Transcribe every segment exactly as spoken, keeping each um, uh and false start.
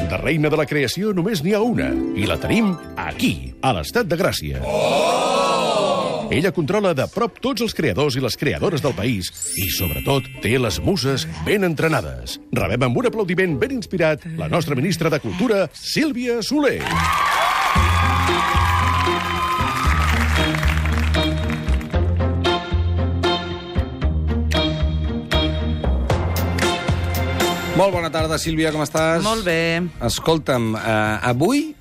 De reina de la creació només n'hi ha una, i la tenim aquí, a l'Estat de Gràcia. Oh! Ella controla de prop tots els creadors i les creadores del país i, sobretot, té les muses ben entrenades. Rebem amb un aplaudiment ben inspirat la nostra ministra de Cultura, Sílvia Soler. Molt bona tarda, Sílvia, com estàs? Molt bé. Escolta'm, eh, avui,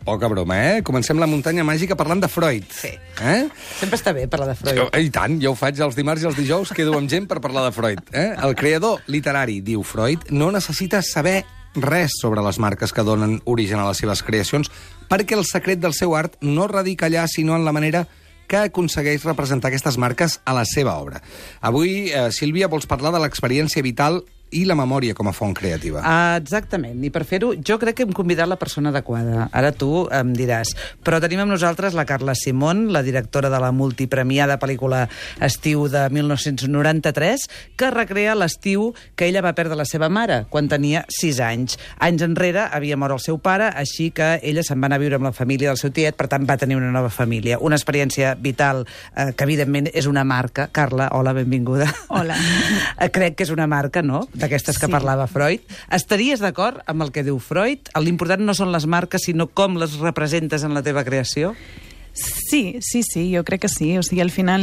poca broma, eh? Comencem la muntanya màgica parlant de Freud. Sí. Eh? Sempre està bé parlar de Freud. Jo, I tant, jo ho faig els dimarts i els dijous, quedo amb gent per parlar de Freud. Eh? El creador literari, diu Freud, no necessita saber res sobre les marques que donen origen a les seves creacions, perquè el secret del seu art no radica allà, sinó en la manera que aconsegueix representar aquestes marques a la seva obra. Avui, eh, Sílvia, vols parlar de l'experiència vital i la memòria com a font creativa. Ah, exactament. I per fer-ho, jo crec que hem convidat la persona adequada. Ara tu em diràs. Però tenim amb nosaltres la Carla Simón, la directora de la multipremiada pel·lícula Estiu de mil nou-cents noranta-tres, que recrea l'estiu que ella va perdre la seva mare, quan tenia sis anys. Anys enrere havia mort el seu pare, així que ella se'n va anar a viure amb la família del seu tiet, per tant va tenir una nova família. Una experiència vital eh, que, evidentment, és una marca. Carla, hola, benvinguda. Hola. Crec que és una marca, no?, d'aquestes que sí. parlava Freud. Estaries d'acord amb el que diu Freud? L'important no són les marques, sinó com les representes en la teva creació? Sí, sí, sí, jo crec que sí. O sigui, al final,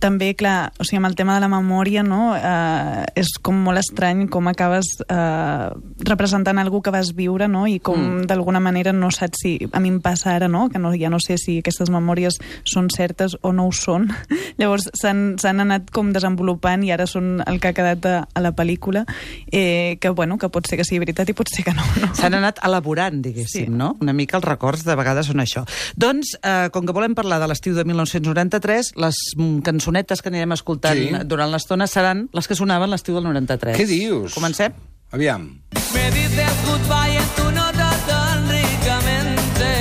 també, clar, o sigui, amb el tema de la memòria, no?, eh, és com molt estrany com acabes eh, representant algú que vas viure, no?, i com mm. d'alguna manera no saps si... A mi em passa ara, no?, que no, ja no sé si aquestes memòries són certes o no ho són. Llavors, s'han anat com desenvolupant i ara són el que ha quedat a, a la pel·lícula, eh, que, bueno, que pot ser que sigui veritat i pot ser que no. no? S'han anat elaborant, diguéssim, sí. no? Una mica els records de vegades són això. Doncs, eh, com que volem parlar de l'estiu de mil nou-cents noranta-tres, les cançonetes que anirem escoltant sí. durant l'estona seran les que sonaven l'estiu del noranta-tres. Què dius? Comencem? Aviam. Me dices goodbye en tu nota tan ricamente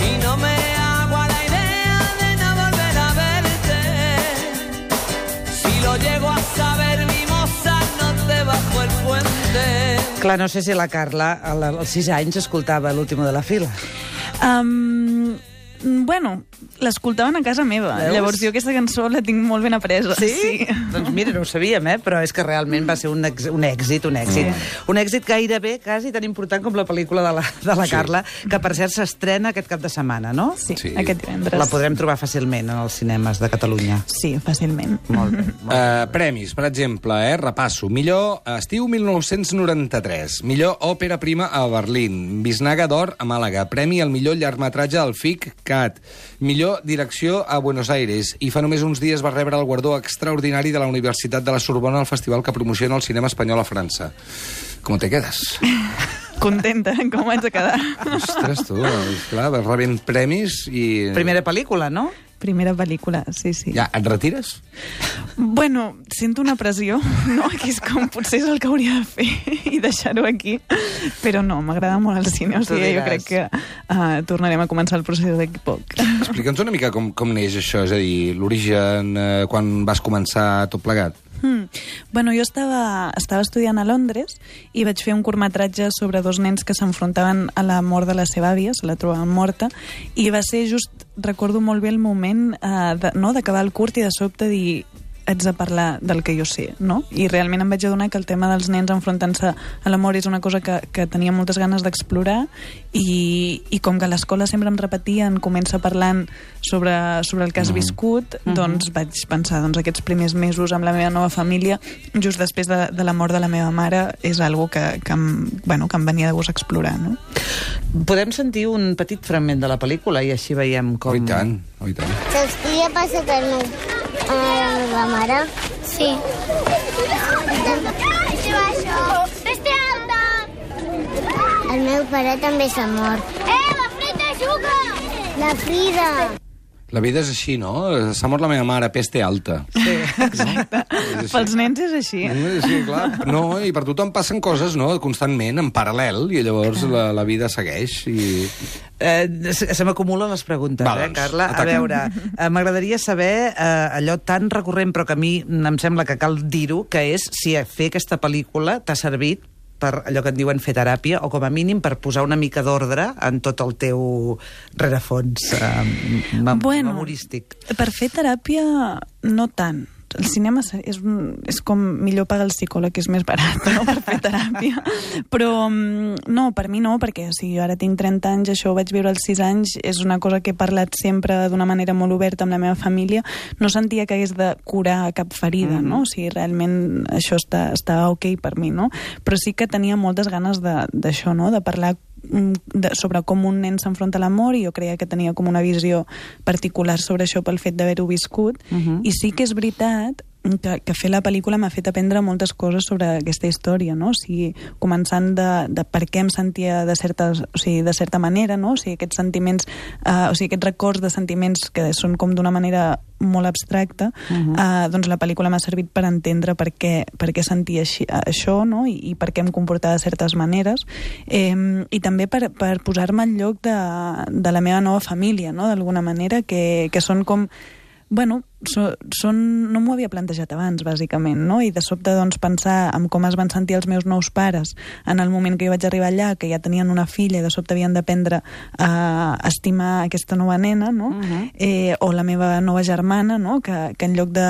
y no me hago a la idea de no volver a verte. Si lo llego a saber, mi moza, no te bajo el puente. Clar, no sé si la Carla als sis anys escoltava l'último de la fila. Um, bueno, l'escoltaven a casa meva. Veus? Llavors jo aquesta cançó la tinc molt ben apresa. Sí? sí? Doncs mira, no ho sabíem, eh? Però és que realment va ser un, ex, un èxit, un èxit. Sí. Un èxit gairebé quasi tan important com la pel·lícula de la, de la sí. Carla, que per cert s'estrena aquest cap de setmana, no? Sí, sí, aquest divendres. La podrem trobar fàcilment en els cinemes de Catalunya. Sí, fàcilment. Molt bé. Molt bé. Uh, premis, per exemple, eh? Repasso. Millor estiu mil nou-cents noranta-tres. Millor òpera prima a Berlín. Bisnaga d'or a Màlaga. Premi al millor llargmetratge al F I C C A T. Millor direcció a Buenos Aires. I fa només uns dies va rebre el guardó extraordinari de la Universitat de la Sorbona al festival que promociona el cinema espanyol a França. Com te quedes? Contenta, com vaig a quedar? Ostres, tu, clar, vas rebent premis i... Primera pel·lícula, no? Primera pel·lícula, sí, sí. Ja, et retires? Bueno, sento una pressió, no? Que és com potser és el que hauria de fer i deixar-ho aquí, però no, m'agrada molt el cine, o sigui, jo crec que uh, tornarem a començar el procés d'aquí poc. Explica'ns una mica com, com neix això, és a dir, l'origen, eh, quan vas començar tot plegat. Hmm. Bueno, jo estava, estava estudiant a Londres i vaig fer un curtmetratge sobre dos nens que s'enfrontaven a la mort de la seva àvia, se la trobaven morta, i va ser just, recordo molt bé el moment eh, de, no, d'acabar el curt i de sobte dir haig de parlar del que jo sé, no? I realment em vaig adonar que el tema dels nens enfrontant-se a la mort és una cosa que, que tenia moltes ganes d'explorar i, i com que a l'escola sempre em repetien, comença parlant sobre, sobre el que has mm. viscut, mm-hmm. doncs vaig pensar, doncs aquests primers mesos amb la meva nova família, just després de, de la mort de la meva mare, és algo que, que, em, bueno, que em venia de gust explorar, no? Podem sentir un petit fragment de la pel·lícula i així veiem com... Oh, i tant, oh, i tant. Saps què li ha passat al meu, a la meva mare? Sí. Peste alta! El meu pare també s'ha mort. Eh, la Frida juga! La Frida! La vida és així, no? S'ha mort la meva mare, peste alta. Sí, exacte. Pels nens és així. Sí, clar. No, i per tothom passen coses, no?, constantment, en paral·lel, i llavors la, la vida segueix. I... Eh, se m'acumulen les preguntes, Va, eh, doncs, Carla? ataca. A veure, eh, m'agradaria saber eh, allò tan recurrent, però que a mi em sembla que cal dir-ho, que és si fer aquesta pel·lícula t'ha servit per allò que en diuen fer teràpia, o com a mínim per posar una mica d'ordre en tot el teu rerefons eh, mem bueno, memorístic. Per fer teràpia, no tant. El cinema és, és com millor pagar el psicòleg, que és més barat, no?, per fer teràpia. Però no, per mi no, perquè si jo ara tinc trenta anys, això ho vaig viure als sis anys, és una cosa que he parlat sempre d'una manera molt oberta amb la meva família. No sentia que hagués de curar cap ferida, mm. no? O sigui, realment això està, està ok per mi, no? Però sí que tenia moltes ganes d'això, no?, de parlar de, sobre com un nen s'enfronta a l'amor, i jo creia que tenia com una visió particular sobre això pel fet d'haver-ho viscut. Uh-huh. I sí que és veritat que, que fer la pel·lícula m'ha fet aprendre moltes coses sobre aquesta història, no? O sigui, començant de, de per què em sentia de, certes, o sigui, de certa manera, no? O sigui, aquests sentiments, eh, o sigui, aquests records de sentiments que són com d'una manera molt abstracta, uh-huh. eh, doncs la pel·lícula m'ha servit per entendre per què, per què sentia així, això, no? I, i per què em comportava de certes maneres, eh, i també per, per posar-me al lloc de, de la meva nova família, no?, d'alguna manera, que, que són com... Bueno, so, són, no m'ho havia plantejat abans, bàsicament, no? I de sobte, doncs, pensar en com es van sentir els meus nous pares en el moment que jo vaig arribar allà, que ja tenien una filla i de sobte havien d'aprendre a estimar aquesta nova nena, no? Uh-huh. eh, o la meva nova germana, no?, que, que en lloc de...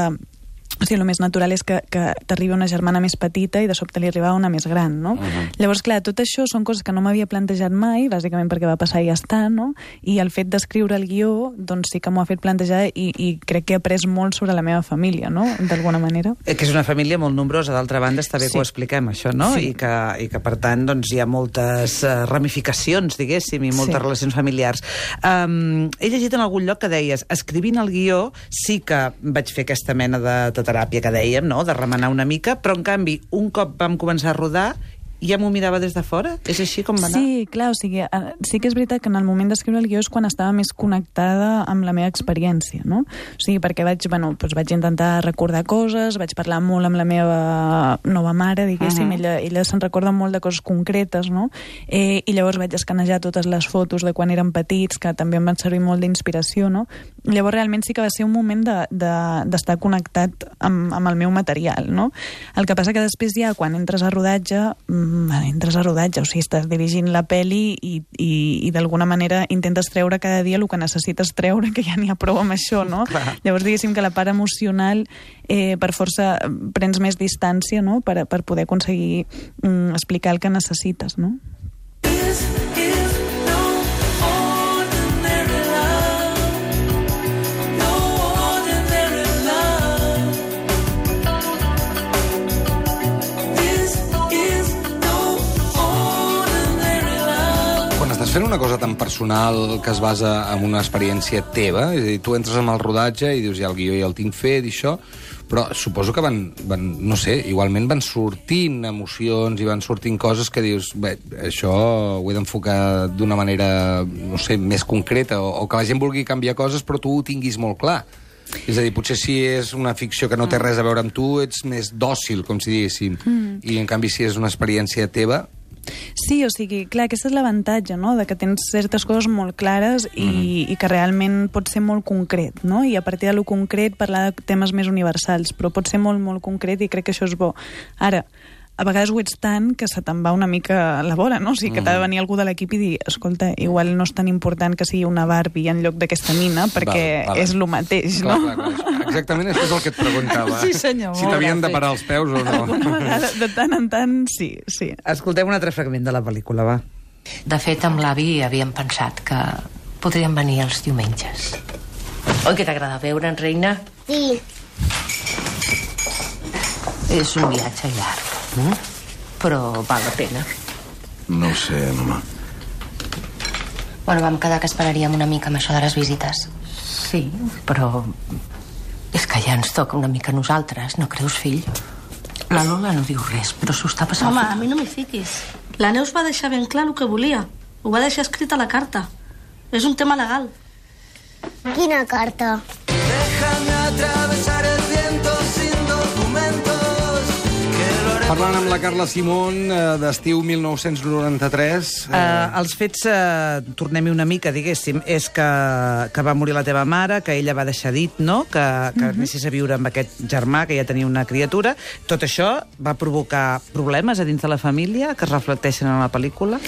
O sigui, el més natural és que, que t'arribi una germana més petita i de sobte li arribava una més gran, no? Uh-huh. Llavors, clar, tot això són coses que no m'havia plantejat mai, bàsicament perquè va passar i ja està, no? I el fet d'escriure el guió, doncs sí que m'ho ha fet plantejar, i, i crec que he après molt sobre la meva família, no?, d'alguna manera. Eh, que és una família molt nombrosa, d'altra banda està bé sí. que ho expliquem, això, no? Sí. I, que, I que, per tant, doncs, hi ha moltes uh, ramificacions, diguéssim, i moltes sí. relacions familiars. Um, he llegit en algun lloc que deies, escrivint el guió sí que vaig fer aquesta mena de teràpia que dèiem, no?, de remenar una mica, però en canvi, un cop vam començar a rodar, ja m'ho mirava des de fora? És així com va anar? Sí, clar, o sigui, sí que és veritat que en el moment d'escriure el guió és quan estava més connectada amb la meva experiència, no? O sigui, perquè vaig, bueno, doncs vaig intentar recordar coses, vaig parlar molt amb la meva nova mare, diguéssim, uh-huh. ella, ella se'n recorda molt de coses concretes, no? Eh, I llavors vaig escanejar totes les fotos de quan eren petits, que també em van servir molt d'inspiració, no? Llavors realment sí que va ser un moment de, de, d'estar connectat amb, amb el meu material, no? El que passa que després ja, quan entres a rodatge, entres a rodatge, o sigui, estàs dirigint la peli i, i, i d'alguna manera intentes treure cada dia el que necessites treure, que ja n'hi ha prou amb això, no? Clar. Llavors, diguéssim que la part emocional eh, per força prens més distància, no?, per, per poder aconseguir mm, explicar el que necessites, no? Fent una cosa tan personal que es basa en una experiència teva, és a dir, tu entres en el rodatge i dius, ja el guió ja el tinc fet i això, però suposo que van, van, no sé, igualment van sortint emocions i van sortint coses que dius, bé, això ho he d'enfocar d'una manera, no sé, més concreta, o, o que la gent vulgui canviar coses però tu ho tinguis molt clar. És a dir, potser si és una ficció que no té res a veure amb tu, ets més dòcil, com si diguéssim, mm. i en canvi si és una experiència teva... Sí, o sigui, clar, aquest és l'avantatge, no?, de que tens certes coses molt clares i, mm-hmm. i que realment pot ser molt concret, no? I a partir de lo concret parlar de temes més universals, però pot ser molt, molt concret i crec que això és bo. Ara, a vegades ho ets tant que se te'n va una mica la bola, no? O sigui, que t'ha de venir algú de l'equip i dir, escolta, igual no és tan important que sigui una Barbie en lloc d'aquesta nina, perquè val, val. És el mateix, clar, no? Clar, clar. Exactament això és el que et preguntava. Sí, senyor. Si t'havien de parar els peus o no. Alguna vegada, de tant en tant, sí, sí. Escoltem un altre fragment de la pel·lícula, va. De fet, amb l'avi havíem pensat que podríem venir els diumenges. Oi que t'agrada veure'n, reina? Sí. És un viatge llarg. Mm? Però val la pena. No ho sé, mama. Bueno, vam quedar que esperaríem una mica amb això de les visites. Sí, però és que ja ens toca una mica a nosaltres, no creus, fill? La Lola no diu res, però s'ho està passant. Home, a mi no m'hi fiquis. La Neus va deixar ben clar el que volia. Ho va deixar escrit a la carta. És un tema legal. Quina carta? Déjame atravesar el viento sin documentos, que lo haré Parlant amb la Carla Simón, eh, d'estiu mil nou-cents noranta-tres... Eh... Uh, els fets, uh, tornem-hi una mica, diguéssim, és que, que va morir la teva mare, que ella va deixar dit, no?, que, que uh-huh. anessis a viure amb aquest germà, que ja tenia una criatura. Tot això va provocar problemes a dins de la família que es reflecteixen en la pel·lícula?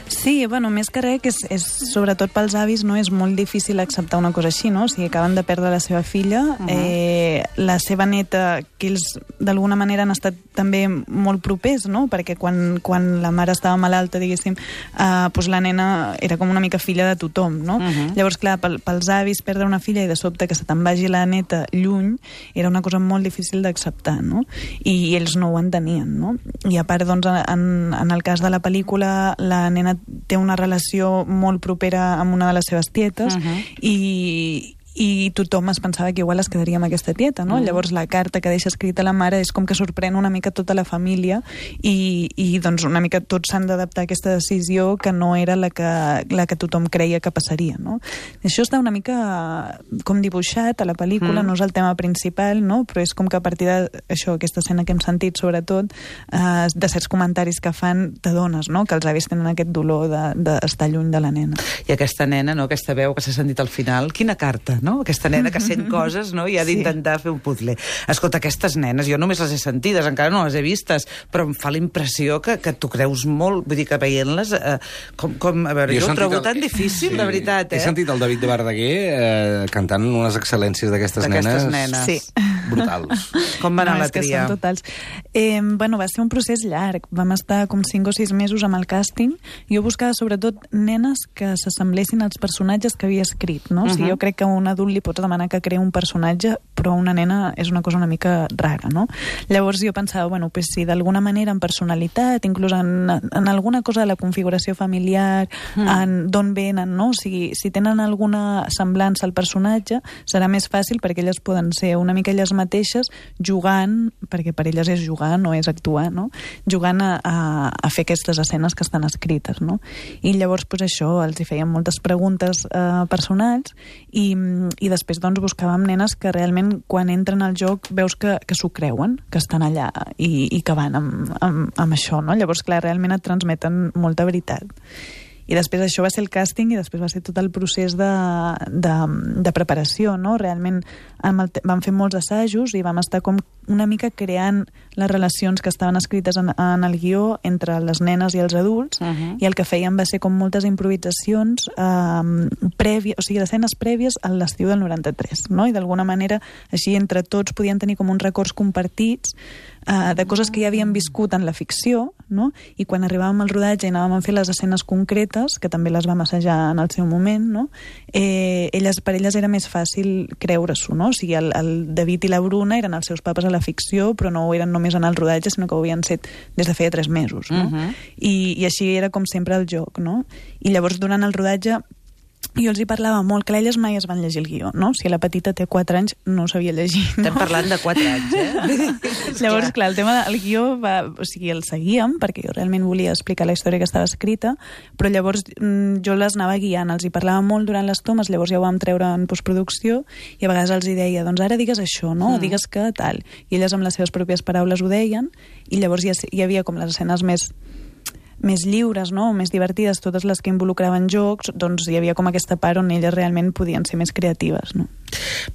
Sí, bueno, més que res, que és, és, sobretot pels avis, no, és molt difícil acceptar una cosa així, no? O sigui, acaben de perdre la seva filla, uh-huh. eh, la seva neta, que ells d'alguna manera han estat també molt propers, no? Perquè quan, quan la mare estava malalta, diguéssim, eh, doncs la nena era com una mica filla de tothom, no? Uh-huh. Llavors, clar, pel, pels avis perdre una filla i de sobte que se te'n vagi la neta lluny era una cosa molt difícil d'acceptar, no? I, i ells no ho entenien, no? I a part, doncs, en, en el cas de la pel·lícula, la nena té una relació molt propera amb una de les seves tietes uh-huh. i, i tothom es pensava que igual es quedaria amb aquesta tieta, no? Uh-huh. Llavors la carta que deixa escrita la mare és com que sorprèn una mica tota la família i, i doncs una mica tots s'han d'adaptar a aquesta decisió que no era la que, la que tothom creia que passaria, no? Això està una mica com dibuixat a la pel·lícula, uh-huh. no és el tema principal, no? Però és com que a partir d'això, aquesta escena que hem sentit sobretot, eh, de certs comentaris que fan, t'adones, no?, que els avis tenen aquest dolor d'estar lluny de la nena. I aquesta nena, no?, aquesta veu que s'ha sentit al final, quina carta, no? Aquesta nena que sent coses, no?, i ha d'intentar sí. fer un puzzle. Escolta, aquestes nenes, jo només les he sentides, encara no les he vistes, però em fa la impressió que, que tu creus molt, vull dir que veient-les, eh, com, com, a veure, jo, jo ho trobo el... tan difícil, sí. de veritat, eh? He sentit el David de Verdaguer eh, cantant unes excel·lències d'aquestes nenes. nenes. Sí. Brutals. Com va anar no, la tria? Són totals. Eh, bueno, va ser un procés llarg. Vam estar com cinc o sis mesos amb el càsting. Jo buscava sobretot nenes que s'assemblessin als personatges que havia escrit, no? Uh-huh. O sigui, jo crec que a un adult li pots demanar que creï un personatge, però una nena és una cosa una mica rara, no? Llavors jo pensava, bueno, pues si d'alguna manera en personalitat, inclús en, en alguna cosa de la configuració familiar, mm. en d'on venen, no? O sigui, si tenen alguna semblança al personatge, serà més fàcil perquè elles poden ser una mica elles mateixes jugant, perquè per elles és jugar, no és actuar, no? Jugant a, a, a fer aquestes escenes que estan escrites, no? I llavors, pues això, els hi feien moltes preguntes eh, personals i, i després, doncs, buscàvem nenes que realment, quan entren al joc, veus que, que s'ho creuen, que estan allà i, i que van amb, amb, amb això, no? Llavors, clar, realment et transmeten molta veritat. I després això va ser el càsting i després va ser tot el procés de, de, de preparació, no? Realment el, vam fer molts assajos i vam estar com una mica creant les relacions que estaven escrites en, en el guió entre les nenes i els adults, uh-huh. i el que fèiem va ser com moltes improvisacions eh, prèvies, o sigui, d'escenes prèvies a l'estiu del noranta-tres, no? I d'alguna manera així entre tots podien tenir com uns records compartits eh, de coses que ja havien viscut en la ficció, no? I quan arribàvem al rodatge i anàvem a fer les escenes concretes, que també les vam assajar en el seu moment, no? Eh, elles, per elles era més fàcil creure-s'ho, no? O sigui, el, el David i la Bruna eren els seus papes a la ficció, però no ho eren només en el rodatge, sinó que ho havien set des de feia tres mesos, no? Uh-huh. I, I així era com sempre el joc, no? I llavors, durant el rodatge, jo els hi parlava molt, que elles mai es van llegir el guió, no? Si la petita té quatre anys, no sabia llegir. No? Estem parlant de quatre anys, eh? Llavors, clar, el tema del guió va, o sigui, el seguíem, perquè jo realment volia explicar la història que estava escrita, però llavors jo les anava guiant, els hi parlava molt durant les tomes, llavors ja ho vam treure en postproducció, i a vegades els hi deia, doncs ara digues això, no? Mm. Digues que tal. I elles amb les seves pròpies paraules ho deien, i llavors ja hi havia com les escenes més més lliures, no? Més divertides, totes les que involucraven jocs, doncs hi havia com aquesta part on elles realment podien ser més creatives, no?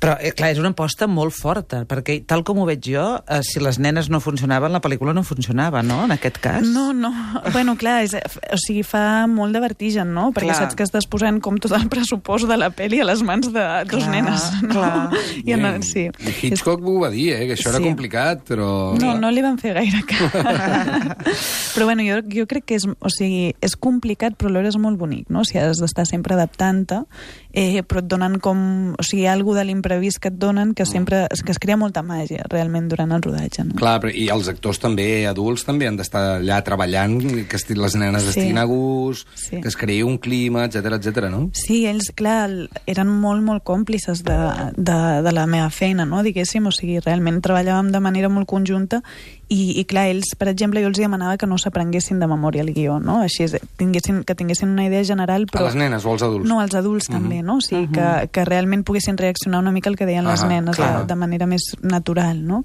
Però, eh, clar, és una aposta molt forta, perquè tal com ho veig jo, eh, si les nenes no funcionaven, la pel·lícula no funcionava, no?, en aquest cas. No, no. Bueno, clar, és, o sigui, fa molt de vertigen, no? Perquè clar. Saps que estàs posant com tot el pressupost de la pel·li a les mans de clar, dos nenes, no? Clar. I, en, sí. I Hitchcock ho va dir, eh?, que això sí. era complicat, però... No, no li van fer gaire cas. Però, bueno, jo, jo crec que és, o sigui, és complicat, però alhora és molt bonic, no? O sigui, has d'estar sempre adaptant-te, eh, però et donen com... O sigui, algú de l'imprevist que et donen que sempre que es crea molta màgia realment durant el rodatge, no? Clar, però, i els actors també, adults, també han d'estar allà treballant, que les nenes sí. estiguin a gust, sí. que es creï un clima, etcètera, etcètera, no? Sí, ells, clar, eren molt, molt còmplices de, de, de la meva feina, no? Diguéssim, o sigui, realment treballàvem de manera molt conjunta I, i clar, ells, per exemple, jo els demanava que no s'aprenguessin de memòria el guió, no? Així és, tinguessin, que tinguessin una idea general, però... A les nenes o als adults? No, als adults uh -huh. també, no? O sigui, uh -huh. que, que realment poguessin reaccionar una mica al que deien uh -huh, les nenes de, de manera més natural, no?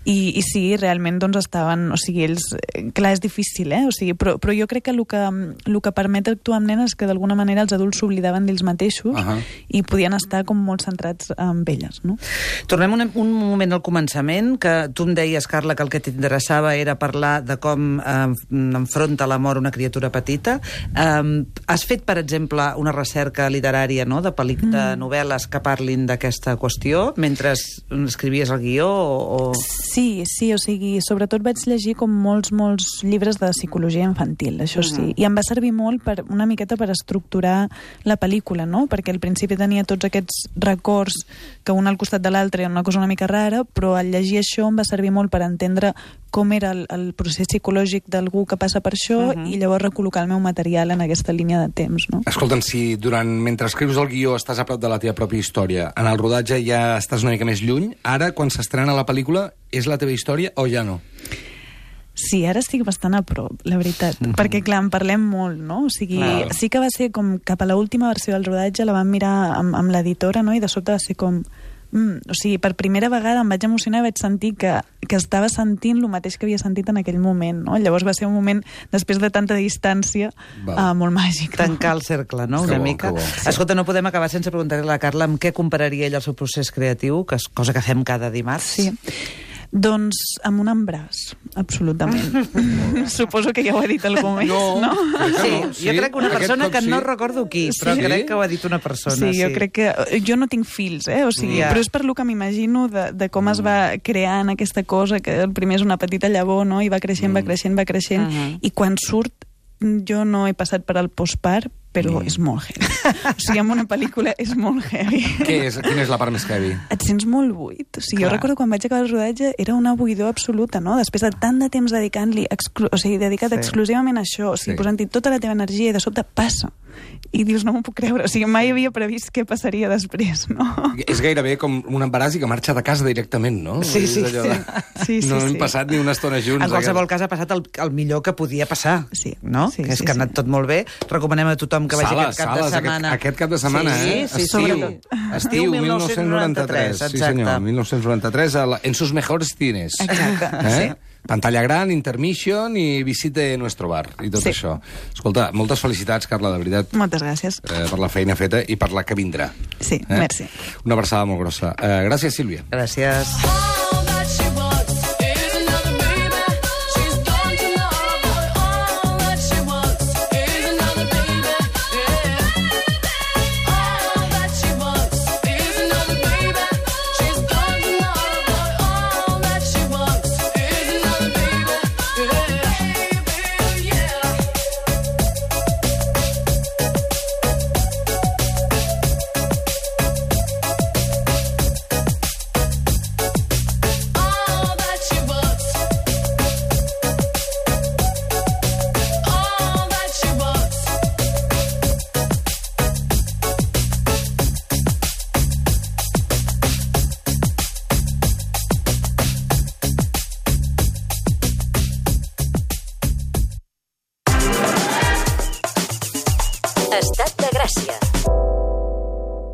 I, i sí, realment, doncs, estaven... O sigui, ells... Clar, és difícil, eh? O sigui, però, però jo crec que el que, el que permet actuar amb nenes és que d'alguna manera els adults s'oblidaven d'ells mateixos uh -huh. i podien estar com molt centrats en elles, no? Tornem un, un moment al començament, que tu em deies, Carla, que el que t'interessava era parlar de com eh, enfronta la mort una criatura petita. Eh, has fet, per exemple, una recerca literària, no?, de, pel·li- de novel·les que parlin d'aquesta qüestió mentre escrivies el guió? O, o... Sí, sí, o sigui, sobretot vaig llegir com molts, molts llibres de psicologia infantil, això sí, uh-huh. i em va servir molt per, una miqueta per estructurar la pel·lícula, no?, perquè al principi tenia tots aquests records que un al costat de l'altre era una cosa una mica rara, però al llegir això em va servir molt per entendre com era el, el procés psicològic d'algú que passa per això uh-huh. i llavors recol·locar el meu material en aquesta línia de temps, no? Escolta'm, si durant, mentre escrius el guió estàs a prop de la teva pròpia història, en el rodatge ja estàs una mica més lluny, ara, quan s'estrena la pel·lícula, és la teva història o ja no? Sí, ara estic bastant a prop, la veritat, mm-hmm. perquè, clar, en parlem molt, no? O sigui, claro. Sí que va ser com cap a l'última versió del rodatge, la vam mirar amb, amb l'editora, no?, i de sobte va ser com... Mm, o sigui, per primera vegada em vaig emocionar i vaig sentir que, que estava sentint el mateix que havia sentit en aquell moment, no? Llavors va ser un moment, després de tanta distància, uh, molt màgic. Tancar el cercle, no?, una bo, mica. bo. Escolta, no podem acabar sense preguntar-li a la Carla amb què compararia ella el seu procés creatiu, que és cosa que fem cada dimarts. Sí. Doncs amb un embràs, absolutament. Suposo que ja ho ha dit algú més, no? no? Sí, no, sí, jo crec que una persona que sí. no recordo qui, però sí? crec que ho ha dit una persona. Sí, jo sí. crec que... Jo no tinc fills, eh? O sigui, yeah. però és per lo que m'imagino de, de com mm. es va creant aquesta cosa, que el primer és una petita llavor, no?, i va creixent, mm. va creixent, va creixent, uh -huh. i quan surt, jo no he passat per al postpart, però mm. és molt heavy. O sigui, en una pel·lícula és molt heavy. Què és? Quina és la part més heavy? Et sents molt buit. O sigui, Clar. jo recordo quan vaig acabar el rodatge era una buidor absoluta, no? Després de tant de temps dedicant-li, exclu- o sigui, dedicat sí. exclusivament a això, o sigui, sí. posant-hi tota la teva energia i de sobte passa. I dius, no m'ho puc creure. O sigui, mai havia previst què passaria després, no? És gairebé com un embaràs i que marxa de casa directament, no? Sí, sí, sí. De... sí, sí. No sí, hem sí. passat ni una estona junts. En qualsevol cas ha passat el, el millor que podia passar, sí. no? Sí, que és sí, que ha anat sí. tot molt bé. Recomanem a tothom que vagi Sales, aquest cap sales, de setmana. Aquest, aquest cap de setmana, sí, eh? Sí, sí, Estiu. sí. Estiu, mil nou-cents noranta-tres. exacte. Sí, senyor, mil nou-cents noranta-tres, a la, en sus mejores cines. Exacte, eh? sí. Pantalla gran, intermission i visite nuestro bar, i tot sí. això. Escolta, moltes felicitats, Carla, de veritat. Moltes gràcies. Eh, per la feina feta i per la que vindrà. Sí, eh? merci. Una abraçada molt grossa. Eh, gràcies, Sílvia. Gràcies. Estat de Gràcia.